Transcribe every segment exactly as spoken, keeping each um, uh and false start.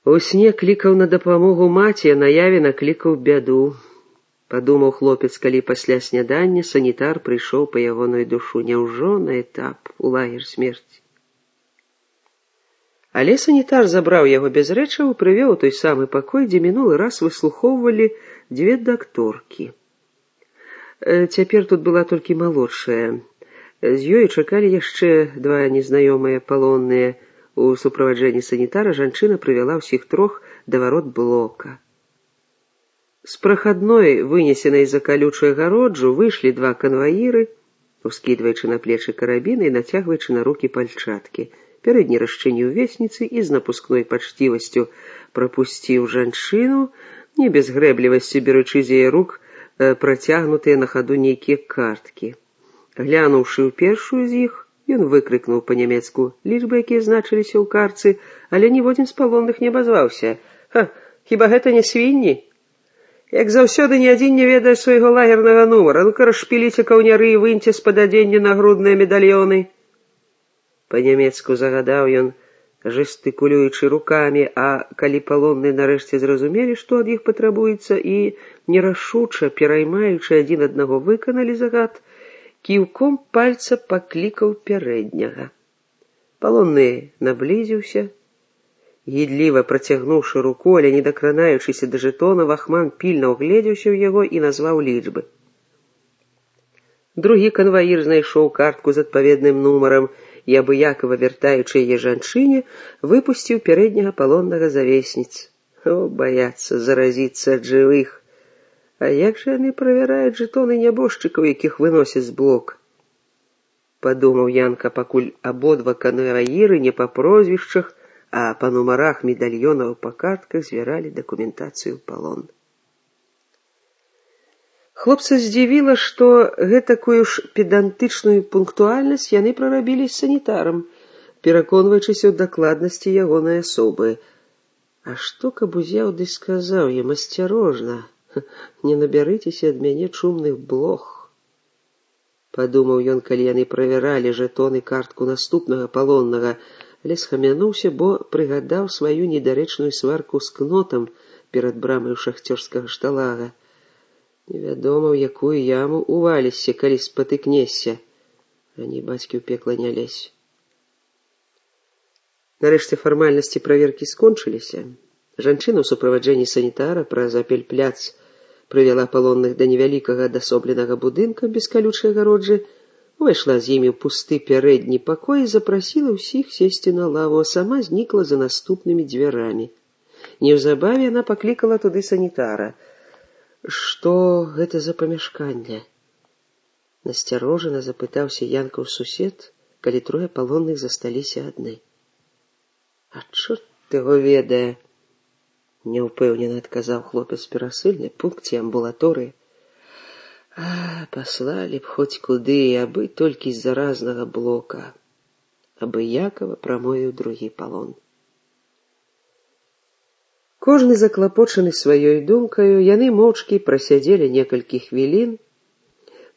У сне клікаў на дапамогу маці, а наяве наклікаў бяду. Падумаў хлопец, калі пасля снядання санітар прыйшоў па ягоную душу. Няўжо на этап у лагер смерці? Але санітар забраў яго без рэчаў і прывёў у той самы пакой, дзе мінулы раз выслухоўвалі дзве дакторкі. Цяпер тут была толькі малодшая. З ёй чакалі яшчэ два незнаёмыя палонныя. У суправаджэнні санітара жанчына прывяла ўсіх трох да варот блока. З прахадной, вынесенай за калючую агароджу, выйшлі два канваіры, ускідваючы на плечы карабіны і нацягваючы на рукі пальчаткі. Пярэдні расчыніў весніцы і з напускной пачцівасцю прапусціў жанчыну, не без грэблівасці беручы з яе рук працягнутыя на хаду нейкія карткі. Глянуўшы ў першую з іх, ён выкрыкнуў па-нямецку лічбы, якія значыліся ў картцы, але ніводзін з палонных не абазваўся. Ха, хіба гэта не свінні? Як заўсёды, ні адзін не ведае свайго лагернага нумара. Ну-ка, расшпіліце каўняры і выньце з-пад адзення нагрудныя медальёны. Па-нямецку загадаў ён, жестыкулюючы рукамі, а калі палонныя нарэшце зразумелі, што ад іх патрабуецца, і нерашуча, пераймаючы адзін аднаго, выканалі загад, кіўком пальца паклікаў пярэдняга. Палонны наблізіўся. Гідліва працягнуўшы руку, але не дакранаючыся да жэтона, вахман пільна ўгледзеўся ў яго і назваў лічбы. Другі канваір знайшоў картку з адпаведным нумарам і, абыякава вяртаючы яе жанчыне, выпусціў пярэдняга палоннага за весніц. О, баяцца заразіцца ад жывых. А як жа яны правяраюць жэтоны нябожчыкаў, якіх выносяць з блок? Падумаў Янка, пакуль абодва канваіры не па прозвішчах, а па нумарах медальёнаў па картках звяралі дакументацыю палон. Хлопца здзівіла, што гэтакую ж педантычную пунктуальнасць яны прарабілі з санітарам, пераконваючыся ў дакладнасці ягонай асобы. А што каб узяў ды сказаў ім асцярожна, не набярыцеся ад мяне чумных блох? Падумаў ён, калі яны правяралі жэтоны картку наступнага палоннага, але схамянуўся, бо прыгадаў сваю недарэчную сварку з кнотам перад брамаю шахцёрскага шталага. Невядома, ў якую яму увалішся, калі спатыкнешся. Раней бацькі ў пекла не лезь. Нарэшце фармальнасці праверкі скончыліся. Жанчына ў суправаджэнні санітара праз апельпляц прывяла палонных да невялікага адасобленага будынка без калючай агароджы, увайшла з імі ў пусты пярэдні пакой і запрасіла ўсіх сесці на лаву, а сама знікла за наступнымі дзвярамі. Неўзабаве яна паклікала туды санітара. Што гэта за памяшканне? Насцярожана запытаўся Янкаў сусед, калі трое палонных засталіся адны. А чорт яго ведае, няўпэўнена адказаў хлопец перасыльны, пункце амбулаторыі. А, паслалі б хоць куды, абы толькі з заразнага блока. Абыякава прамовіў другі палон. Кожны заклапочаны сваёй думкаю, яны моўчкі прасядзелі некалькі хвілін,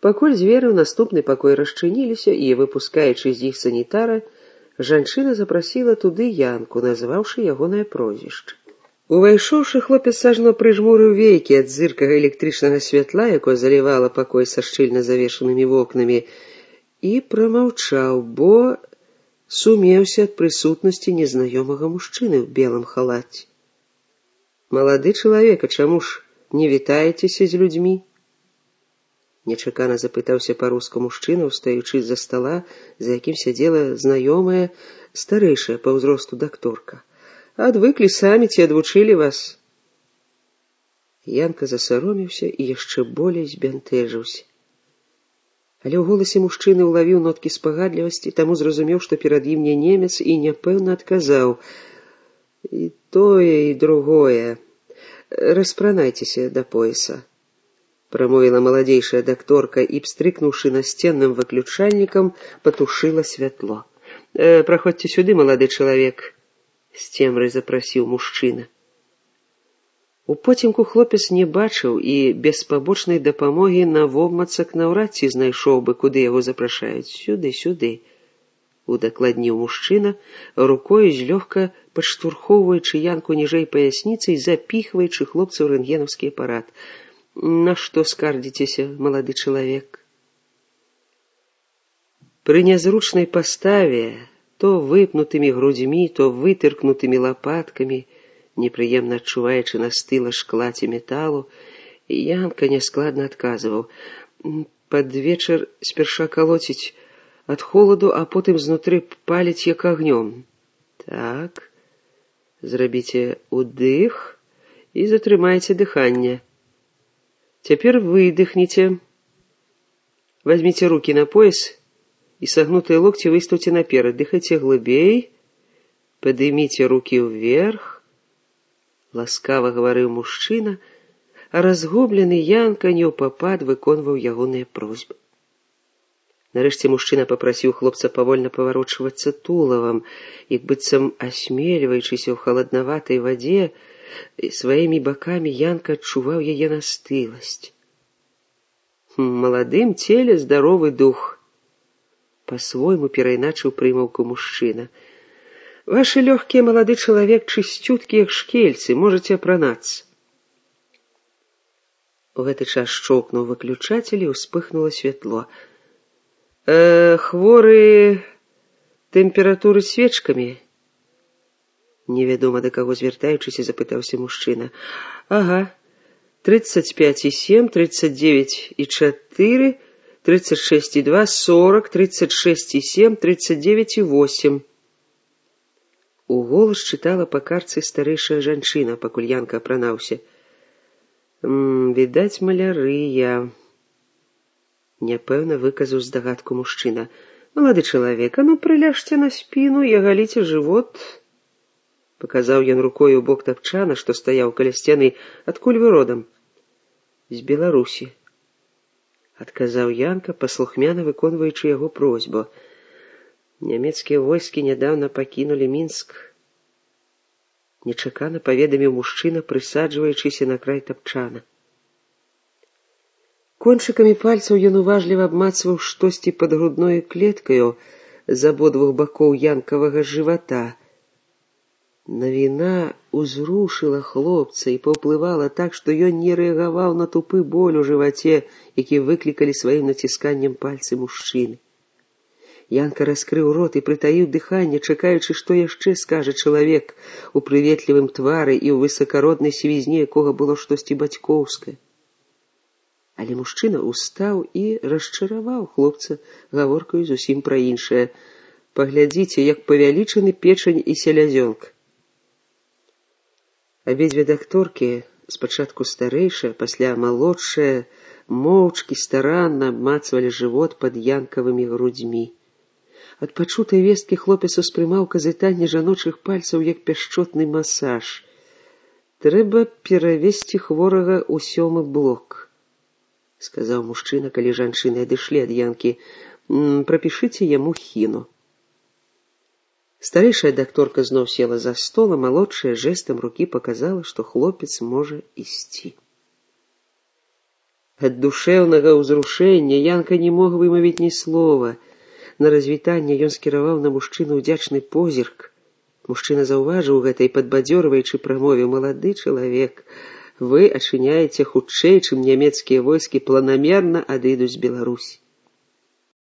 пакуль дзверы ў наступны пакой расчыніліся, і, выпускаючы з іх санітара, жанчына запрасіла туды Янку, назваўшы ягонае прозвішча. Увайшоўшы, хлопец сажно прыжмурыў вейкі ад зыркага электрычнага святла, якое залівала пакой са шчыльна завешанымі вокнамі, і прамаўчаў, бо сумеўся ад прысутнасці незнаёмага мужчыны ў белым халаце. «Малады чалавек, а чаму ж не вітаецеся з людзьмі?» Нечакана запытаўся па-руску мужчына, устаючы з-за стала, за якім сядзела знаёмая, старэйшая па ўзросту дакторка. «Адвыклі самі, ці адвучылі вас?» Янка засаромеўся і яшчэ болей збянтэжыўся. Але ў голасе мужчыны ўлавіў ноткі спагадлівасці, таму зразумеў, што перад ім не немец, і няпэўна адказаў: «І тое, і другое. Распранайцеся да пояса», — прамовіла маладзейшая дакторка і, пстрыкнуўшы насценным выключальнікам, патушыла святло. «Э, «Праходзьце сюды, малады чалавек», — з цемрай запрасіў мужчына. У потемку хлопец не бачыў і без пабочнай дапамогі навобмацак наўрад ці знайшоў бы, куды яго запрашаюць. Сюды, сюды. удакладніў мужчына, рукою злёгка падштурхоўваючы Янку ніжэй паясніцы і запіхваючы хлопца ў рэнтгенаўскі апарат. На што скардзіцеся, малады чалавек? Пры нязручнай паставе, то выпнутымі грудзьмі, то вытыркнутымі лапаткамі, непрыемна адчуваючы на стыла шкла ці металу, Янка няскладна адказваў: пад вечар спярша калоціць ад холаду, а потым знутры паліць як агнём. Так, зрабіце удых і затрымайце дыханне. Цяпер выдыхніце. Возьміце рукі на пояс і сагнутыя локці выстаўце наперад. Дыхайце глыбей, падыміце рукі ўверх. Ласкава гаварыў мужчына, а разгублены Янка неўпапад выконваў ягоныя просьбы. Нарэшце мужчына папрасіў хлопца павольна паварочвацца тулавам, як быццам асмельваючыся ў халаднаватай вадзе, і сваімі бакамі Янка адчуваў яе настыласць. Маладым целе здаровы дух. Па-свойму перайначыў прымаўку мужчына. Вашы лёгкія, малады чалавек, чысцюткі, як шкельцы, можаце апранацца. У гэты час шчоўкнуў выключатель і ўспыхнула святло. Э, хворы тэмпературы свечкамі? Невядома да каго звяртаючыся, запытаўся мужчына. Ага, тридцать пять и семь, тридцать девять и четыре, тридцать шесть и два, сорок, тридцать шесть и семь, тридцать девять и восемь. У голас чытала па карцы старэйшая жанчына, пакуль Янка апранаўся. Відаць, малярыя. Няпэўна выказаў здагадку мужчына. Малады чалавек, а ну прыляжце на спіну і агаліце жывот. Паказаў ён рукой у бок тапчана, што стаяў каля сцяны. Адкуль вы родам? З Беларусі. Адказаў Янка, паслухмяна выконваючы яго просьбу. Нямецкія войскі нядаўна пакінулі Мінск. Нечакана паведаміў мужчына, прысаджваючыся на край тапчана. Кончыкамі пальцаў ён уважліва абмацваў штосьці пад грудною клеткаю з абодвух бакоў янкавага жывата. Навіна узрушыла хлопца і паўплывала так, што ён не рэагаваў на тупы боль у жываце, які выклікалі сваім націсканнем пальцы мужчыны. Янка раскрыў рот і прытаіў дыханне, чакаючы, што яшчэ скажа чалавек у прыветлівым твары і ў высакароднай сівізні, якога было штосьці бацькоўскае. Але мужчына устаў і расчараваў хлопца гаворкаю зусім пра іншае. Паглядзіце, як павялічаны печань і селязёнка. Абедзве дакторкі, спачатку старэйшая, пасля малодшая, моўчкі старанна абмацвалі жывот пад янкавымі грудзьмі. Ад пачутай весткі хлопец успрымаў казытанне жаночых пальцаў як пяшчотны масаж. Трэба перавесці хворага ў сёмы блок, сказаў мужчына, калі жанчыны адышлі ад янкі. Прапішыце яму хіну. Старэйшая дакторка зноў села за стол, а малодшая жэстам рукі паказала, што хлопец можа ісці. Ад душэўнага ўзрушэння Янка не мог вымавіць ні слова. На развітанне ён скіраваў на мужчыну ўдзячны позірк. Мужчына заўважыў гэта і падбадзёрваючы прамовіў: малады чалавек, вы ачыняеце хутчэй, чым нямецкія войскі планамерна адыдуць з Беларусі.